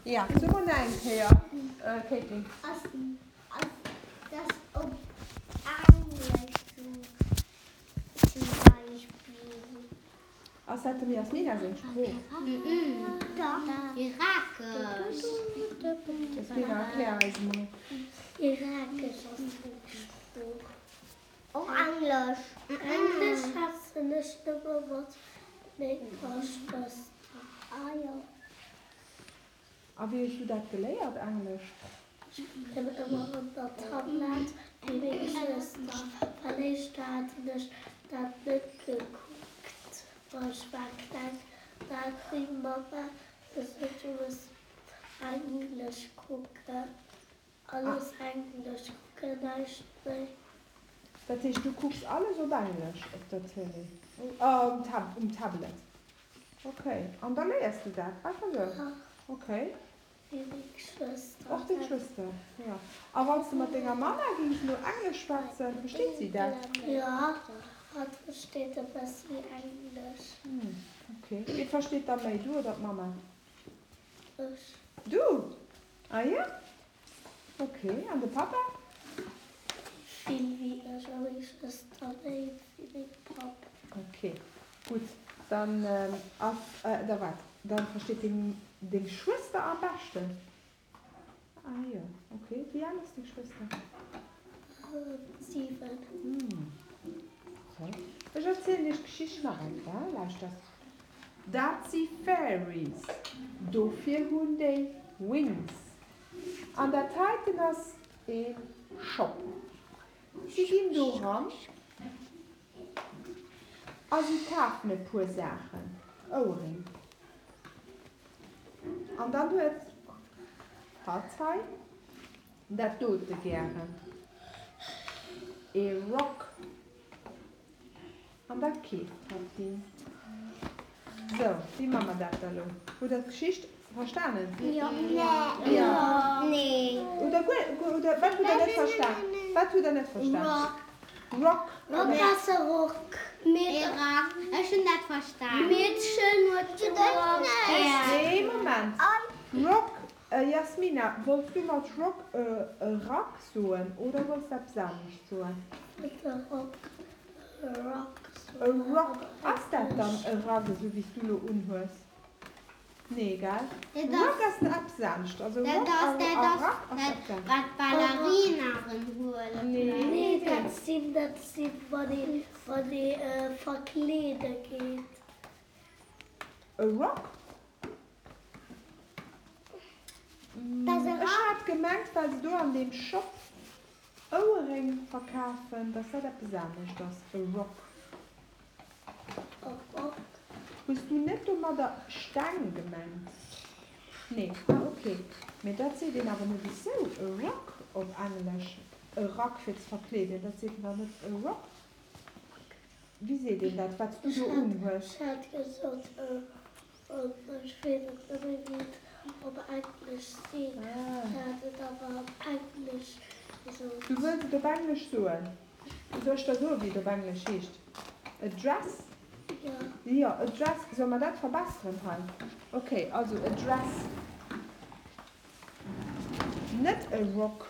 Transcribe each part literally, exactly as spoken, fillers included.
Ja, so mol nach eng Kéier, Caitlin. Ass, ass das op Englesch zum, zum Beispill? Ass dat dem Jasmina seng Sprooch? Dach. Irakesch. Jasmina, erklär eis emol. Irakesch ass seng Sprooch. Och Englesch. Englesch schwätzen ech nëmme mat menger Schwëster. Ah jo. A wéi hues du dat geléiert, Englesch? Ech spillen ëmmer op der Tablett wéi meng Schwëster, well éischter haten ech dat net gekuckt, ma ech war kleng, da hat meng Mamma gesot, du muss Englesch kucken, alles Englesch kucken, näischt méi. Dat heescht, du kucks alles op Englesch op der Tëlee, um Tab, um Tablet? Okay, an da léiers du dat einfach esou? Ja. Okay. Wéi meng Schwëster. Och deng Schwëster, jo. A wann s de mat denger Mamma géings elo Englesch schwätzen, versteet si dat? Jo, hatt versteet e bëssi Englesch. Hm, okay. Wee versteet da méi, du oder d'Mamma? Ech. Du? Ah jo? Okay. An de Pappa? Vill wéi ech a meng Schwëster méi wéi meng Papp. Okay, gutt. Dann ass, da waart, dann versteet deng deng Schwëster am beschten? Ah jo, okay. Wéi al ass deng Schwëster? Siwen. Hm, okay. Ech erzielen iech d'Geschicht nach eng Kéier, lauschtert. Dat si Fairies, dofir hunn déi Wings. An dat heiten ass ee Shop. Si ginn do ran a si kafen e puer Saachen, Ouerréng. An dann huet hatt hei dat dote gären, ee Rock. An da keeft hatt deen. Sou, wéi man mer dat da lo? Hutt der d'Geschicht verstanen? Jo. Jo. Nee. Oder guer, oder wat hutt der net verstan? Wat hutt der net verstan? Rock. Rock. Rock ass e Rock. Mee Rack. Ech hunn dat verstan. Meedchen huet de Rock gär. Nee, Moment. Rock, Jasmina, wollts du mat Rock e Rack soen oder wollts de eppes anescht soen? Wollt e Rock, e Rock E soen, Rock, op ass dat dann Englesch. e Rack, esou wéi s du lo unhues? Nee, gell? Dat Rock ass ass eppes anescht. Also dat Rock ass a dat a ass Rack ass dat eppes anescht. wat d'Ballerinaren huelen Nee, vläicht. Nee, nee. dat sinn, dat sinn, wann ee, wann ee verkleede geet. E Rock? Dat ass e Ech Rack. hat gemengt, well se do an deem Shop Ouerréng verkafen, dass dat eppes anescht ass, e Rock. E Rock. Hues du net domadder Steng gemengt? Nee, ah ok. Mee dat seet een awer net esou, e Rock op Englesch. E Rack fir ze verkleeden, dat seet een dach net e Rock. Wéi seet een dat, wat s du Ech do hat, unhues? ech hat gesot e Rock, ech weess et net méi wéi et op Englesch seet. Ah. Ech hat et awer op Englesch gesot. Du wëlls et op Englesch soen? Soll ech der soen, wéi et op Englesch heescht? A dress? Jo. Jo, a dress. Solle mer dat verbesseren hei? Ok, also a dress. Net e rock,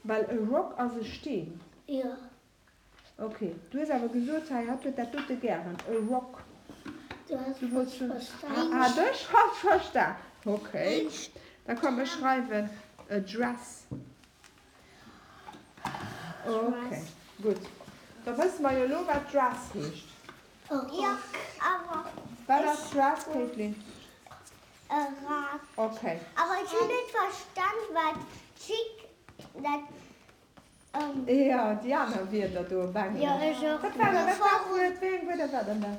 well e rock ass e Steen. Jo. Ok, du hues awer gesot hei, hatt huet dat dote gären, e rock. Du has Du falsch wollts schon. verstan. Hat ech falsch verstan? Ok, da komm ech schreiwen a dress. Ok, gutt. Da wësse mer jo elo wat dress heescht. E Jo, Rock. awer Wat ech. ass dress, Caitlin? E Rack. Ok. Awer ech hunn net verstan wat chic dat. Jo, déi aner Wierder do op Jo, Englesch. ech och Wat war dat? net. Wat war d'Wuert? Wéi eng Wierder war dann dat?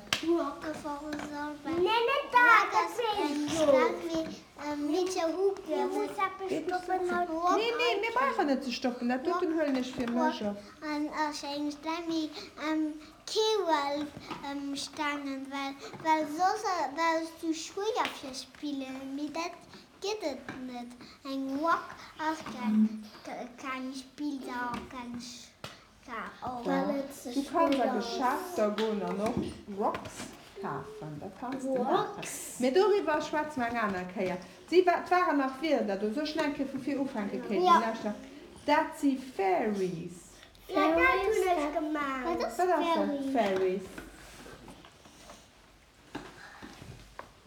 Nee, net dat, dat weess ech jo. Geet nicht so. Nee, nee, mir brauchen net ze stoppen. Dat doten huelen ech fir mech op. An ech eng Stemmi Kewell stangen, well well soss dat ass zu schwéier fir spillen, mee dat gëtt et net. Eng Rock ass keng keng Spillsaach, keng och. Well Doch, et ze du kanns a schwéier ass. Geschäfter goen an och Rocks kafen. Dat kanns de maachen. Rocks? Mee doriwwer schwätze mer eng aner Kéier. Si wa, et waren nach Wierder do. Soll ech nach eng Kéier vu vir ufänken, Katie? Ja. Lauschter. Dat si Fairies. Ja, dat hunn ech gemaach. Wat ass Wat ass dat? Fairies.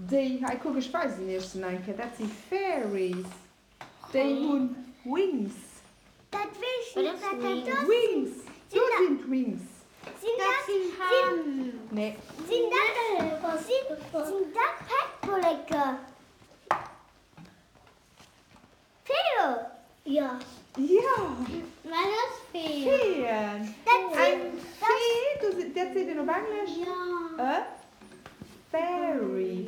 Déi, hei kuck, ech weisen iech se nach eng Kéier. Dat si Fairies. Déi hunn Wings. Dat weess ech net, wat dat ass. Wings! Do sinn d'Wings. Sinn dat, sinn, Nee. sinn dat, sinn, sinn dat Pettbolleke? Feeë? Ja. Ja! Wat ass Feeën? Feeën. Dat sinn, Eng Fee, do si, dat seet een op Englesch Ja. e Fairy.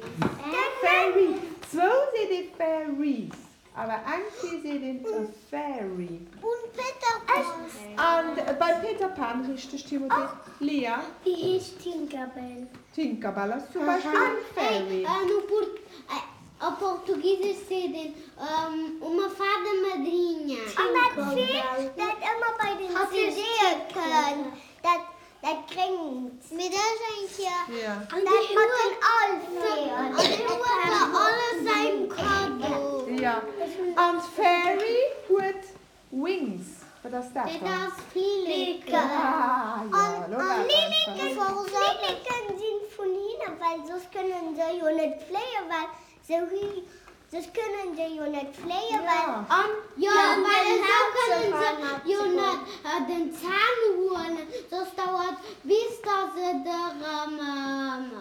dat Fairy. Zwou seet ee Fairies, awer eng Fee seet een e Fairy. Und Peter Pan. An bei Peter Pan, richteg, Timothée. Lia? Wéi heescht Tinkerbell? Tinkerbell ass zum Beispill eng Fairy. Hey, no Port op Portugiesisch seet een uma fada madrinha. An dat Fee, dat ëmmer bei den C D'e kënnt, dat, dat Gréngt. Mee dat ass eng Kéier Ja. dat mat den Alfeeën. An déi huet der alles eng Kado. Ja. An d'Fairy huet Wings. Wat ass dat Dat dann? ass Flilleken. Ah, ja, lo war et einfach. Flilleken sinn vun hinnen, well soss kënnen se jo net fléien, well se hu, soss kënnen se jo net fléien, well Ja. An ja, well esou kënnen se jo net den Zänn huelen, soss dauert bis dass se der ähm,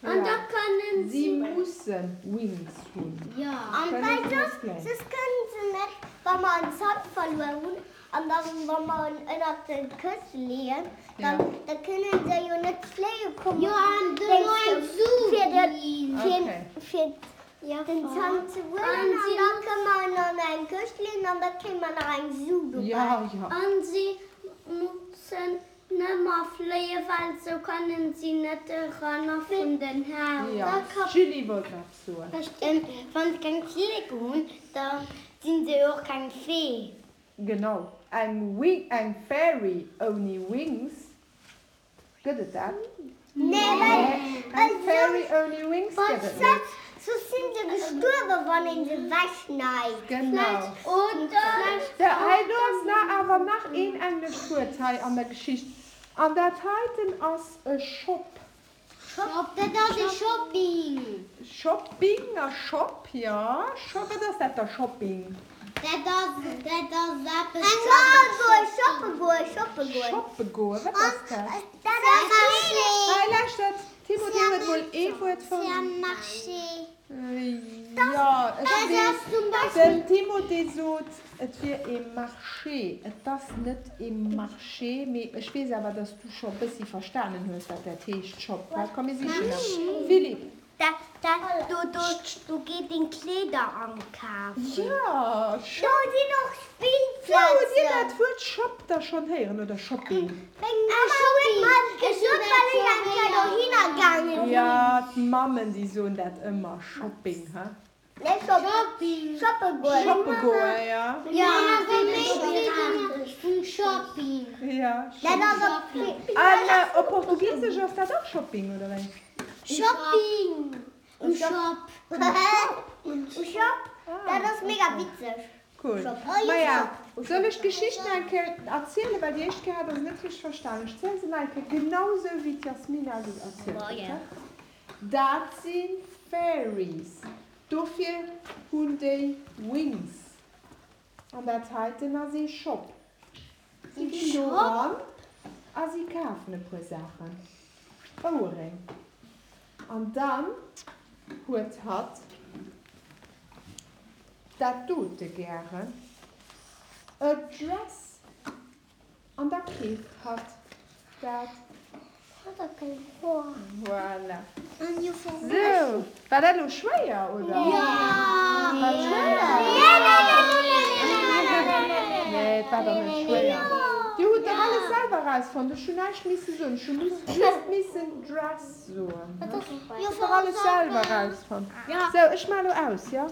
An da kënnen Si mussen Wings hunn. ja. An Kënnen well se net soss, fléien. soss kënnen se net, wa mer en Zant verluer hunn, an dann, wa mer en ënnert de Kësse leeën, dann, Ja. da kënnen se jo net fléie kommen. Jo, an duerno eng Su Fir den, ginn. fir, Okay. fir den Zant ze huelen, An an si da kënne mer en an eng Këscht leeën, an da kréie mer nach eng Su dobäi. Ja, ja. An si mussen nëmmer fléien, well sou kënnen si net eranner vun den Haus. Ja. Julie wollt nach soen. Wann se keng Flilleke hunn, da sinn se och keng Fee. Genau. Eng Wing, eng Fairy ouni Wings. Gëtt et dat? Nee, well, Eng Fairy ouni Wings gëtt et net. soss sinn se gestuerwen, wann een se wechschneit. Genau. Oder So, hei, do ass nach, awer nach een englescht Wuert hei an der Geschicht. An dat heiten ass e Shop. Shop, dat ass e Shopping. Shopping a Shop, ja. Shop, wat ass dat da, Shopping? Dat ass, dat ass eppes. Eng goen, shoppe goen, shoppe goen. Shoppe goen, wat ass dat? Dat ass Hei, lauschtert, Timothée huet mol ee Wuert fonnt. Marché. Ja, ech Dat weess. ass zum Beispill. Den Timothée sot, et wier e Marché. Et ass net e Marché, mee ech weess awer, dass du scho bëssi verstanen hues, wat dat heescht, Shop. Wa, komm, mir sichen nach. Philippe. Da, da, do, do, do geet een Kleeder akafen. Ja, Shop. Do sinn och So, hutt Dir Spillplazen. dat Wuert Shop da schonn héieren oder Shopping? Meng Shopping. Gesot, well ech eng Kéier dohinner gaange sinn. Ja, d'Mammen, déi soen dat ëmmer, Shopping, hä? Nee, Shopping. Shoppe goen. Shoppe goen, ja. Ja, vum Shopping. Ja, Dat Shopping. ass op An äh, op Portugiesesch ass dat och Shopping, oder wéi? Shopping. Um Shop. Um Shop. Dat ass mega witzeg. Cool. Shop. Maja, soll ech d'Geschicht nach eng Kéier erzielen, well déi éischt Kéier hat der se net richteg verstanen. Ech ziele se nach eng Kéier genau sou, wéi d'Jasmina se erzielt huet. Ja. Dat si Fairies. Dofir hunn déi Wings. An dat heiten ass ee Shop. Si ginn do eran a si kafen e puer Saachen. Ouerréng. An dann huet hatt dat dote gären, a Dress. An da keeft hatt dat. Voilà. Sou, war dat elo schwéier, oder? Ja. War schwéier? Nee, nee, nee, nee, nee, nee, Nee, et war dach net schwéier. Dir hutt dach alles selwer erausfonnt. Ech hunn näischt misse soen. Ech hu just missen Dress soen. Dir hutt dach alles selwer erausfonnt. Sou, ech maachen elo aus, jo?